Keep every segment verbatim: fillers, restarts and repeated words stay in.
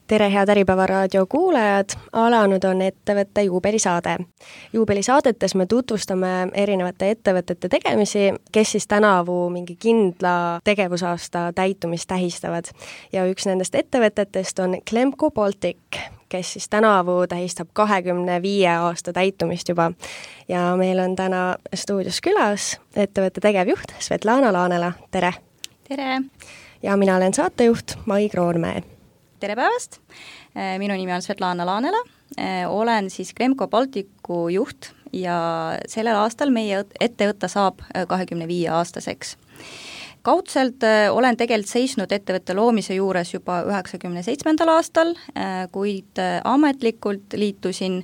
tere, head Äripäeva raadio kuulajad! Alanud on ettevõtte juubelisaade. Juubelisaadetes me tutvustame erinevate ettevõtete tegemisi, kes siis tänavu mingi kindla tegevusaasta täitumist tähistavad. Ja üks nendest ettevõtetest on Glemco Baltic, kes siis tänavu tähistab kahekümne viie aasta täitumist juba. Ja meil on täna stuudios külas ettevõtte tegevjuht Svetlana Laanela. Tere! Tere! Ja mina olen saatejuht Mai Kroonmäe. Tere päevast! Minu nimi on Svetlana Laanela. Olen siis Glemco Balticu juht ja sellel aastal meie ettevõte saab kahekümne viie aastaseks. Kaudselt olen tegelikult seisnud ettevõtte loomise juures juba üheksakümne seitsmendal aastal, kuid ametlikult liitusin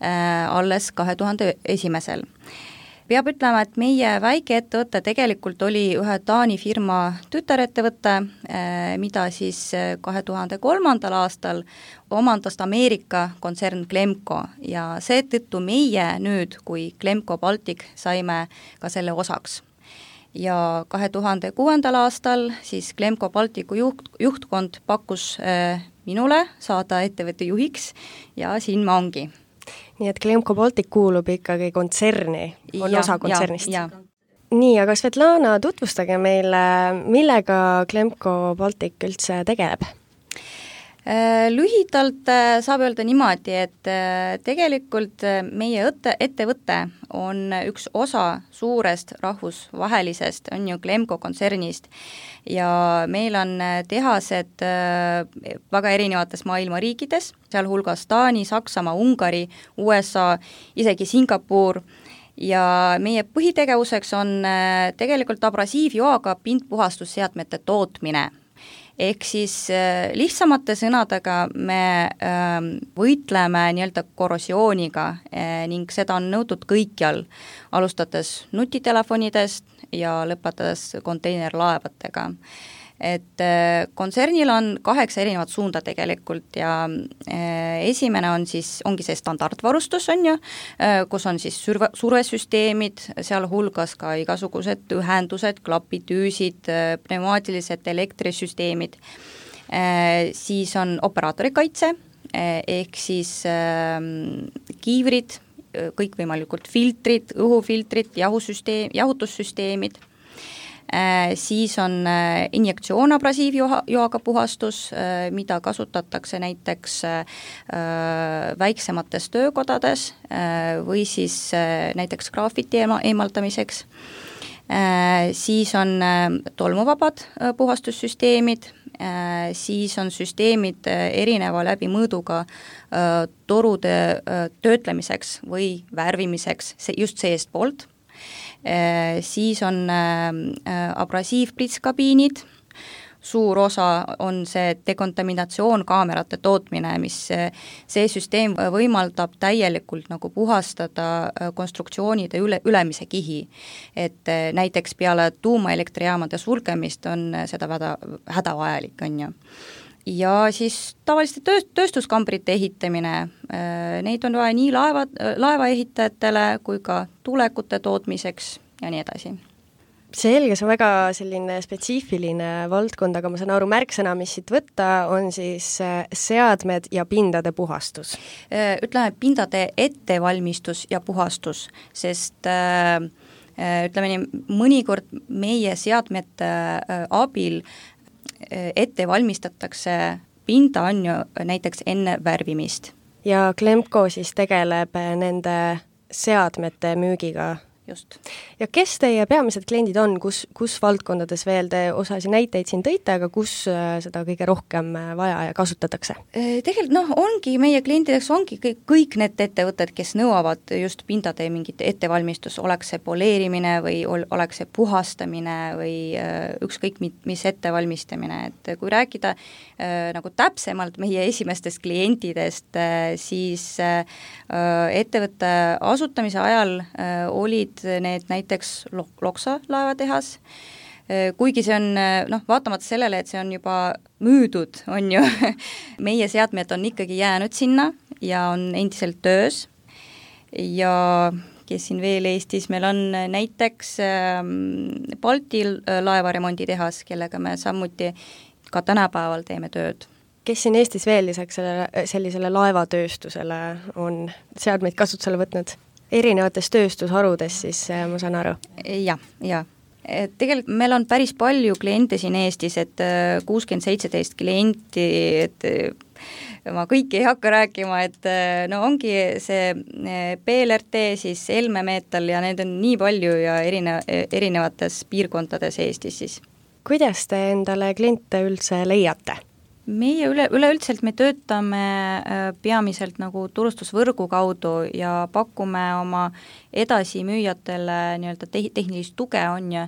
alles kahe tuhande esimesel. Peab ütlema, et meie väikeettevõte tegelikult oli ühe Taani firma tütarettevõte, mida siis kahe tuhande kolmandal aastal omandas Ameerika kontsern Glemco ja seetõttu meie nüüd, kui Glemco Baltic, saime ka selle osaks. Ja kahe tuhande kuuendal aastal siis Glemco Balticu juht, juhtkond pakkus minule saada ettevõtte juhiks ja siin ma ongi. Nii et Glemco Baltic kuulub ikkagi kontserni, on ja, osa kontsernist. Ja, ja. Nii, aga Svetlana, tutvustage meile, millega Glemco Baltic üldse tegeleb? Lühidalt saab öelda niimoodi, et tegelikult meie ettevõte on üks osa suurest rahvusvahelisest, on ju Glemco kontsernist ja meil on tehased väga erinevates maailma riikides, sealhulgas Taani, Saksamaa, Ungari, U S A, isegi Singapur ja meie põhitegevuseks on tegelikult abrasiivjoaga pindpuhastusseadmete tootmine. Ehk siis lihtsamate sõnadega me võitleme nii-öelda korrosiooniga ning seda on nõutud kõikjal, alustades nutitelefonidest ja lõpetades konteinerlaevadega. Et kontsernil on kaheksa erinevat suunda tegelikult ja esimene on siis, ongi see standardvarustus, on ju, kus on siis surve, survesüsteemid, sealhulgas ka igasugused ühendused, klapitüüsid, pneumaatilised elektrisüsteemid, siis on operaatorikaitse, ehk siis kiivrid, kõikvõimalikult filtrid, õhufiltrid, jahusüsteem, jahutussüsteemid, siis on injektsioon abrasiivjoaga puhastus, mida kasutatakse näiteks väiksemates töökodades või siis näiteks graafiti eemaldamiseks. Siis on tolmuvabad puhastussüsteemid, siis on süsteemid erineva läbimõõduga torude töötlemiseks või värvimiseks just seestpoolt. Siis on abrasiivpritskabiinid, suur osa on see dekontaminatsioon-kaamerate tootmine, mis see süsteem võimaldab täielikult nagu puhastada konstruktsioonide üle, ülemise kihi. Et näiteks peale tuumaelektrijaamade sulgemist on seda häda, hädavajalik, on ju. Ja siis tavaliste tööst, tööstuskambrite ehitamine, neid on vaja nii laeva, laevaehitajatele kui ka tulekute tootmiseks ja nii edasi. Selge, see on väga selline spetsiifiline valdkond, aga ma saan aru, märksõna, mis siit võtta, on siis seadmed ja pindade puhastus. Ütleme, pindade ettevalmistus ja puhastus, sest ütleme nii, mõnikord meie seadmete abil ette valmistatakse pinda on ju näiteks enne värvimist. Ja Glemco siis tegeleb nende seadmete müügiga. Just. Ja kes teie peamised kliendid on, kus, kus valdkondades veel te osasi näiteid siin tõite, aga kus seda kõige rohkem vaja ja kasutatakse? Tegelikult noh, ongi meie klientideks ongi kõik, kõik need ettevõtted, kes nõuavad just pindade mingit ettevalmistus, oleks see poleerimine või oleks see puhastamine või ükskõik mis ettevalmistamine, et kui rääkida nagu täpsemalt meie esimestest klientidest, siis ettevõtte asutamise ajal olid need näiteks Loksa laevatehas, kuigi see on, noh, vaatamata sellele, et see on juba müüdud, on ju, meie seadmed on ikkagi jäänud sinna ja on endiselt töös ja kes siin veel Eestis, meil on näiteks Balti laevaremonditehas, kellega me samuti ka tänapäeval teeme tööd. kes siin Eestis veel lisaks sellele, sellisele laevatööstusele on seadmeid kasutusele võtnud? Erinevates tööstusharudes siis, ma saan aru? Jah, jah. Et tegelikult meil on päris palju kliente siin Eestis, et kuuskümmend seitseteist klienti, et ma kõiki ei hakka rääkima, et no ongi see P L R T, siis Elme Metal ja need on nii palju ja erine, erinevates piirkondades Eestis siis. Kuidas te endale kliente üldse leiate? Meie üle, üleüldiselt me töötame peamiselt nagu turustusvõrgu kaudu ja pakume oma edasimüüjatele nii-öelda te- tehnilist tuge on ja,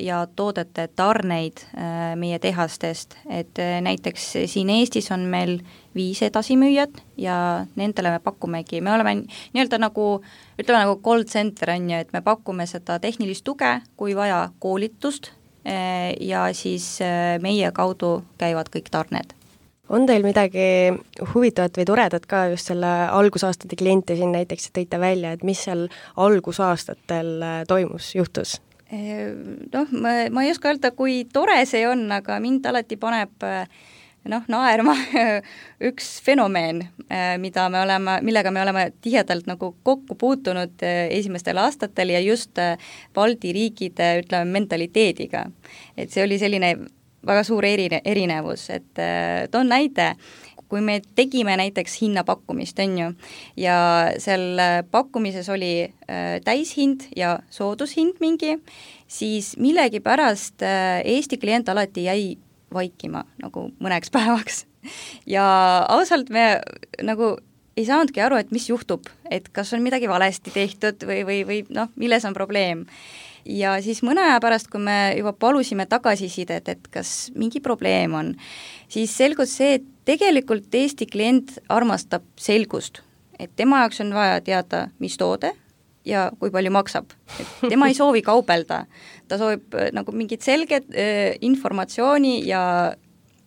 ja toodete tarneid meie tehastest, et näiteks siin Eestis on meil viis edasimüüjat ja nendele me pakumegi, me oleme nii-öelda nagu, ütleme nagu call center on ju, et me pakume seda tehnilist tuge, kui vaja koolitust, ja siis meie kaudu käivad kõik tarned. On teil midagi huvitavat või toredat ka just selle algusaastate kliente siin näiteks tõite välja, et mis seal algusaastatel toimus, juhtus? Noh, ma, ma ei oska öelda, kui tore see on, aga mind alati paneb noh, naerma üks fenomeen, mida me oleme, millega me oleme tihedalt nagu kokku puutunud esimestel aastatel ja just Balti riikide, ütleme, mentaliteediga. Et see oli selline väga suur erine, erinevus, et toon näide, kui me tegime näiteks hinnapakkumist, on ju, ja seal pakkumises oli täishind ja soodushind mingi, siis millegipärast Eesti klient alati jäi vaikima nagu mõneks päevaks. Ja ausalt me nagu ei saanudki aru, et mis juhtub, et kas on midagi valesti tehtud või, või, või noh, milles on probleem. Ja siis mõne aja pärast, kui me juba palusime tagasisidet, et kas mingi probleem on, siis selgus see, et tegelikult Eesti klient armastab selgust, et tema jaoks on vaja teada, mis toode ja kui palju maksab. Et tema ei soovi kaubelda, ta soovib nagu mingit selget äh, informatsiooni ja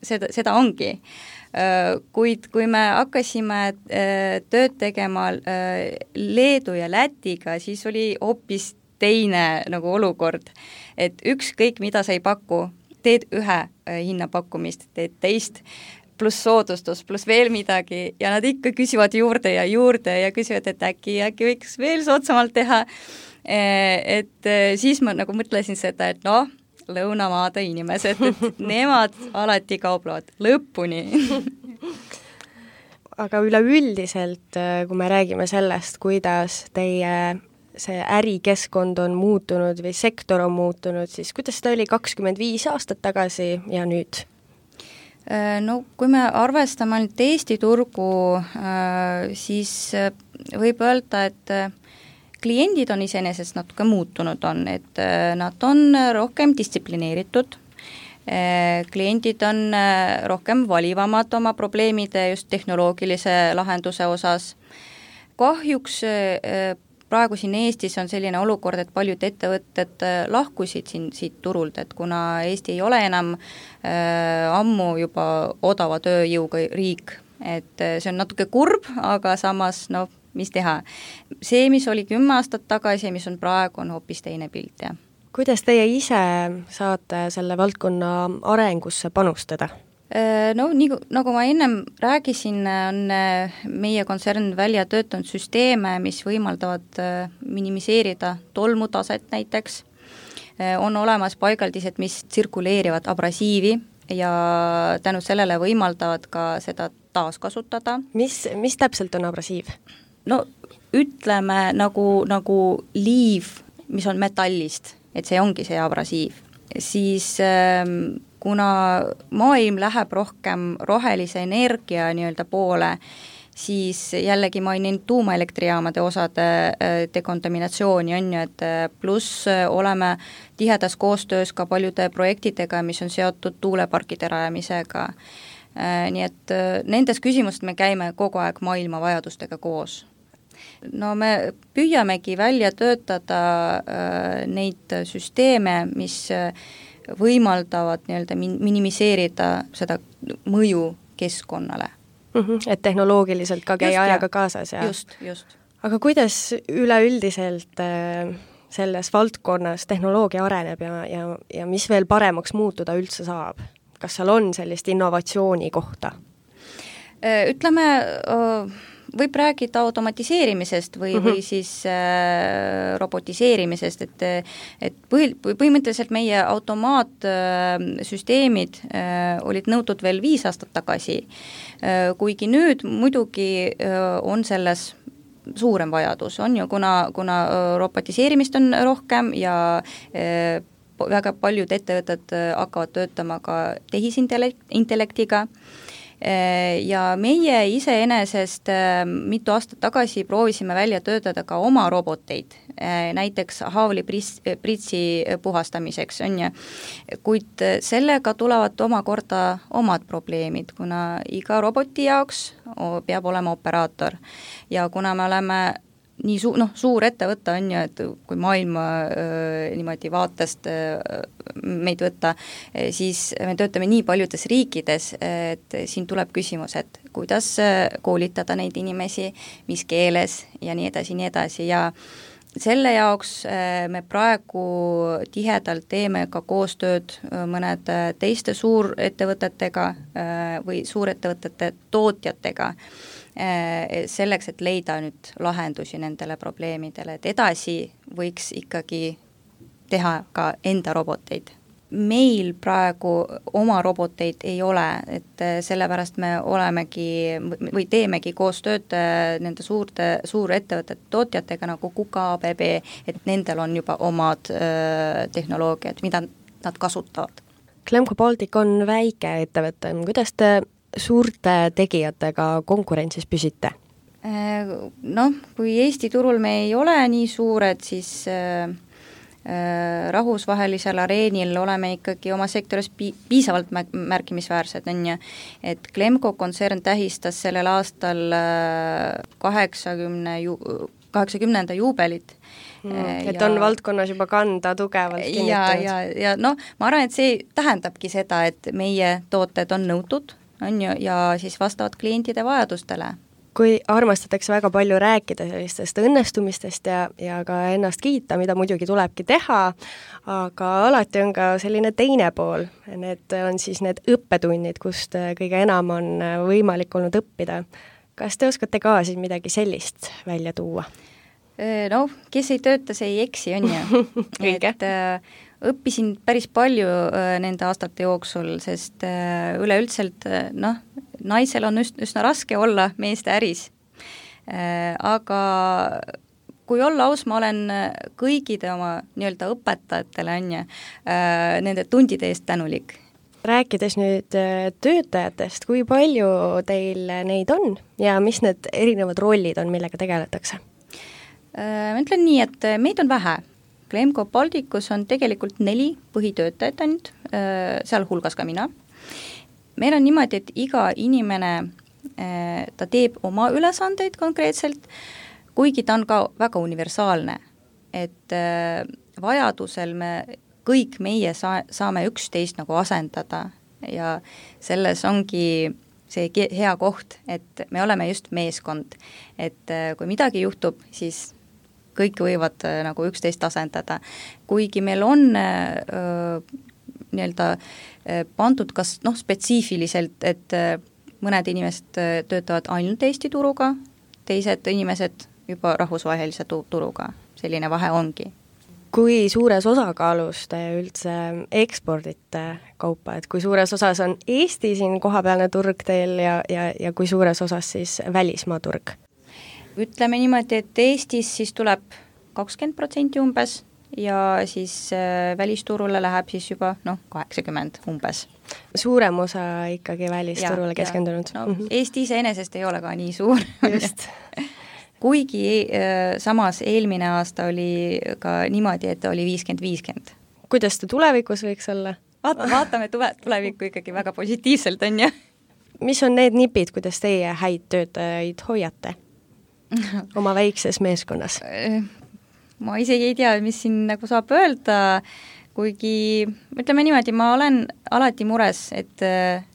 seda, seda ongi. Äh, kuid kui me hakkasime äh, tööd tegema äh, Leedu ja Lätiga, siis oli hoopis teine nagu olukord, et ükskõik mida sa ei paku, teed ühe äh, hinnapakkumist, teed teist, pluss soodustus, pluss veel midagi ja nad ikka küsivad juurde ja juurde ja küsivad, et äkki, äkki võiks veel soodsamalt teha, et siis ma nagu mõtlesin seda, et noh, lõunamaade inimesed, et nemad alati kauplevad lõpuni. Aga üleüldiselt, kui me räägime sellest, kuidas teie see ärikeskkond on muutunud või sektor on muutunud, siis kuidas ta oli kakskümmend viis aastat tagasi ja nüüd? No kui me arvestame ainult Eesti turgu, siis võib öelda, et kliendid on iseenesest natuke muutunud on, et nad on rohkem distsiplineeritud, kliendid on rohkem valivamad oma probleemide just tehnoloogilise lahenduse osas. Kahjuks praegu siin Eestis on selline olukord, et paljud ettevõtted lahkusid siin, siit turult, et kuna Eesti ei ole enam äh, ammu juba odava tööjõuga riik, et see on natuke kurb, aga samas noh, mis teha. See, mis oli kümme aastat tagasi ja mis on praegu, on hoopis teine pilt, jah. Kuidas teie ise saate selle valdkonna arengusse panustada? No nii, nagu ma ennem räägisin, on meie kontsern välja töötanud süsteeme, mis võimaldavad minimiseerida tolmutaset näiteks. On olemas paigaldised, mis tsirkuleerivad abrasiivi ja tänu sellele võimaldavad ka seda taaskasutada. Mis, mis täpselt on abrasiiv? No ütleme nagu, nagu liiv, mis on metallist, et see ongi see abrasiiv. Siis kuna maailm läheb rohkem rohelise energia nii-öelda poole, siis jällegi mainin tuumaelektrijaamade osade dekontaminatsiooni on ju, et pluss oleme tihedas koostöös ka paljude projektidega, mis on seotud tuuleparkide rajamisega. Nii et nendes küsimustes me käime kogu aeg maailma vajadustega koos. No me püüamegi välja töötada neid süsteeme, mis võimaldavad nii-öelda minimiseerida seda mõju keskkonnale. Mm-hmm, et tehnoloogiliselt ka käi ajaga kaasas. Ja... Just, just. Aga kuidas üleüldiselt selles valdkonnas tehnoloogia areneb ja, ja, ja mis veel paremaks muutuda üldse saab? kas seal on sellist innovatsiooni kohta? Ütleme, võib rääkida automatiseerimisest või mm, -hmm. või siis äh, robotiseerimisest, et et põhi, põhimõtteliselt meie automaatsüsteemid äh, olid nõutud veel viis aastat tagasi äh,, kuigi nüüd muidugi äh, on selles suurem vajadus, on ju, kuna, kuna robotiseerimist on rohkem ja äh, väga paljud ettevõtted hakkavad töötama ka tehisintellektiga, ja meie iseenesest mitu aastat tagasi proovisime välja töötada ka oma roboteid, näiteks haavlipritsi puhastamiseks, on ju, kuid sellega tulevad omakorda omad probleemid, kuna iga roboti jaoks peab olema operaator ja kuna me oleme nii su-, noh, suur ettevõte on ju, et kui maailma äh, niimoodi vaatest äh, meid võtta, siis me töötame nii paljudes riikides, et siin tuleb küsimus, et kuidas koolitada neid inimesi, mis keeles ja nii edasi, nii edasi ja selle jaoks me praegu tihedalt teeme ka koostööd mõned teiste suurettevõtetega või suurettevõtete tootjatega, selleks, et leida nüüd lahendusi nendele probleemidele, et edasi võiks ikkagi teha ka enda roboteid. Meil praegu oma roboteid ei ole, et sellepärast me olemegi või teemegi koostööd nende suurte, suurettevõtete tootjatega nagu Kuka, A B B, et nendel on juba omad äh, tehnoloogiad, mida nad kasutavad. Glemco Baltic on väike ettevõte, kuidas te suurte tegijatega konkurentsis püsite? Noh, kui Eesti turul me ei ole nii suured, siis äh, rahvusvahelisel areenil oleme ikkagi oma sektoris pi- piisavalt märkimisväärsed, on ju, et Glemco kontsern tähistas sellel aastal kaheksakümne ju, kaheksakümnenda juubelit. Mm, et ja, on valdkonnas juba kanda tugevalt kinnitanud. Ja, ja, ja noh, ma arvan, et see tähendabki seda, et meie tooted on nõutud, on ju, ja siis vastavad klientide vajadustele. Kui armastatakse väga palju rääkida sellistest õnnestumistest ja, ja ka ennast kiita, mida muidugi tulebki teha, aga alati on ka selline teine pool. Need on siis need õppetunnid, kust kõige enam on võimalik olnud õppida. Kas te oskate ka siis midagi sellist välja tuua? No, kes ei tööta, see ei eksi, on ju. et äh, õppisin päris palju äh, nende aastate jooksul, sest äh, üleüldselt, äh, noh, naisel on üs- üsna raske olla meeste äris. Äh, aga kui olla aus, ma olen kõigide oma nii-öelda õpetajatele, on ju, äh, nende tundide eest tänulik. Rääkides nüüd töötajatest, kui palju teil neid on ja mis need erinevad rollid on, millega tegeletakse? Ma ütlen nii, et meid on vähe. Glemco Balticus on tegelikult neli põhitöötajat ainult, seal hulgas ka mina. Meil on niimoodi, et iga inimene, ta teeb oma ülesandeid konkreetselt, kuigi ta on ka väga universaalne, et vajadusel me kõik meie saa- saame üksteist nagu asendada ja selles ongi see hea koht, et me oleme just meeskond, et kui midagi juhtub, siis kõik võivad äh, nagu üksteist asendada. Kuigi meil on äh, nii-öelda äh, pandud kas noh, spetsiifiliselt, et äh, mõned inimesed äh, töötavad ainult Eesti turuga, teised inimesed juba rahvusvahelise tu- turuga, selline vahe ongi. Kui suures osakaalus te üldse ekspordite kaupa, et kui suures osas on Eesti siin kohapealne turg teil ja, ja, ja kui suures osas siis välismaa turg? Ütleme niimoodi, et Eestis siis tuleb kakskümmend protsenti umbes ja siis äh, välisturule läheb siis juba noh, kaheksakümmend umbes. Suurem osa ikkagi välisturule keskendunud? No, mm-hmm. Eesti iseenesest ei ole ka nii suur. Just. Kuigi äh, samas eelmine aasta oli ka niimoodi, et oli viiskümmend viiskümmend. Kuidas ta tulevikus võiks olla? Vaat, vaatame tule, tulevikku ikkagi väga positiivselt, on ju. Mis on need nipid, kuidas teie häid töötajaid hoiate oma väikses meeskonnas? Ma isegi ei tea, mis siin nagu saab öelda, kuigi ütleme niimoodi, ma olen alati mures, et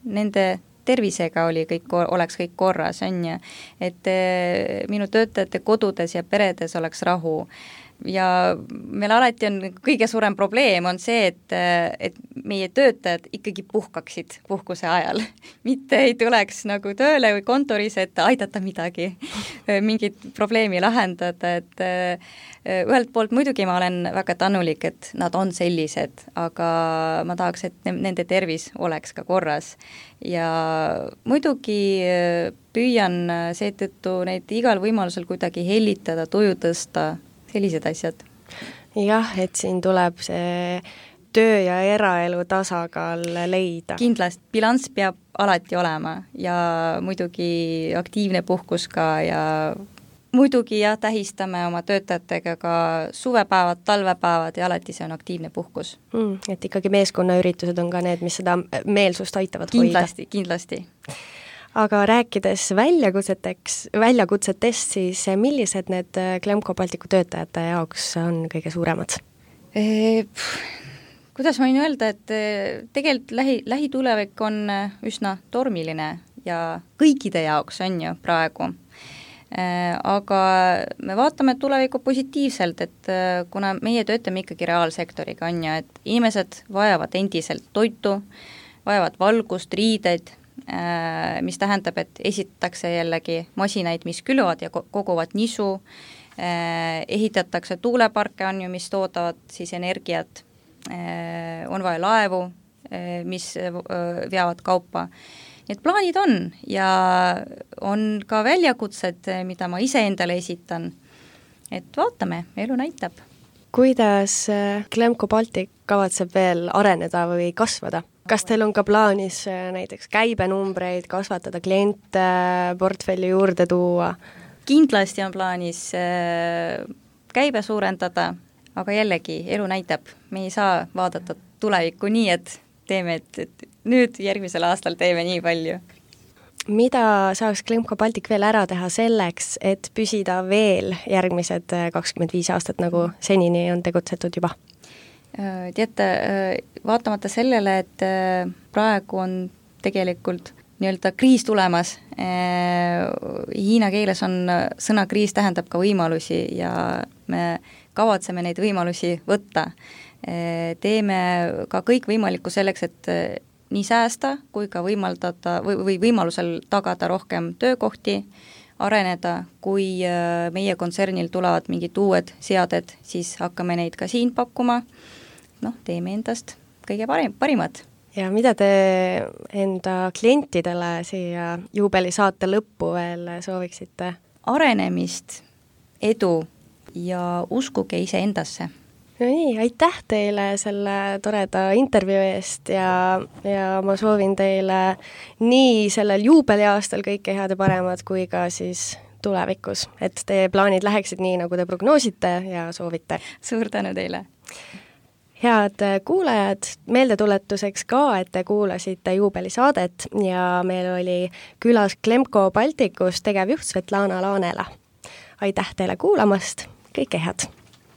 nende tervisega oli kõik, oleks kõik korras, on ju, et minu töötajate kodudes ja peredes oleks rahu. ja meil alati on kõige suurem probleem on see, et, et meie töötajad ikkagi puhkaksid puhkuse ajal. Mitte ei tuleks nagu tööle või kontoris, et aidata midagi, mingit probleemi lahendada, et ühelt poolt muidugi ma olen väga tänulik, et nad on sellised, aga ma tahaks, et nende tervis oleks ka korras. Ja muidugi püüan seetõttu neid igal võimalusel kuidagi hellitada, tuju tõsta, sellised asjad. Jah, et siin tuleb see töö ja eraelu tasakaal leida. Kindlasti, bilanss peab alati olema ja muidugi aktiivne puhkus ka ja muidugi jah, tähistame oma töötajatega ka suvepäevad, talvepäevad ja alati see on aktiivne puhkus. Mm, et ikkagi meeskonnaüritused on ka need, mis seda meelsust aitavad kindlasti, hoida. Kindlasti, aga rääkides väljakutseteks, väljakutsetest, siis millised need Glemco Balticu töötajate jaoks on kõige suuremad? E, kuidas ma võin öelda, et tegelikult lähi, lähitulevik on üsna tormiline ja kõikide jaoks on ju praegu. Aga me vaatame tulevikku positiivselt, et kuna meie töötame ikkagi reaalsektoriga on ju, et inimesed vajavad endiselt toitu, vajavad valgust, riideid, mis tähendab, et esitatakse jällegi masinaid, mis külvad ja koguvad nisu, ehitatakse tuuleparke on ju, mis toodavad siis energiat, on vaja laevu, mis veavad kaupa. Need plaanid on ja on ka väljakutsed, mida ma ise endale esitan. Et vaatame, elu näitab. Kuidas Glemco Baltic kavatseb veel areneda või kasvada? Kas teil on ka plaanis näiteks käibenumbreid kasvatada, kliente portfelli juurde tuua? Kindlasti on plaanis käibe suurendada, aga jällegi elu näitab. Me ei saa vaadata tulevikku nii, et teeme, et, et nüüd järgmisel aastal teeme nii palju. Mida saaks Glemco Baltic veel ära teha selleks, et püsida veel järgmised kakskümmend viis aastat, nagu senini on tegutsetud juba? Teate, vaatamata sellele, et praegu on tegelikult nii-öelda kriis tulemas, hiina keeles on sõna kriis tähendab ka võimalusi ja me kavatseme neid võimalusi võtta. Teeme ka kõik võimalikku selleks, et nii säästa kui ka võimaldada või, või võimalusel tagada rohkem töökohti, areneda, kui meie kontsernil tulevad mingid uued seaded, siis hakkame neid ka siin pakkuma. Noh, teeme endast kõige parim, parimad. Ja mida te enda klientidele siia juubelisaate lõppu veel sooviksite? Arenemist, edu ja uskuge ise endasse. No nii, aitäh teile selle toreda intervjuu eest ja, ja ma soovin teile nii sellel juubeliaastal kõike head ja paremat kui ka siis tulevikus, et teie plaanid läheksid nii, nagu te prognoosite ja soovite. Suur tänu teile! Head kuulajad, meeldetuletuseks ka, et te kuulasite juubelisaadet ja meil oli külas Glemco Balticus tegevjuht Svetlana Laanela. Aitäh teile kuulamast, kõike head!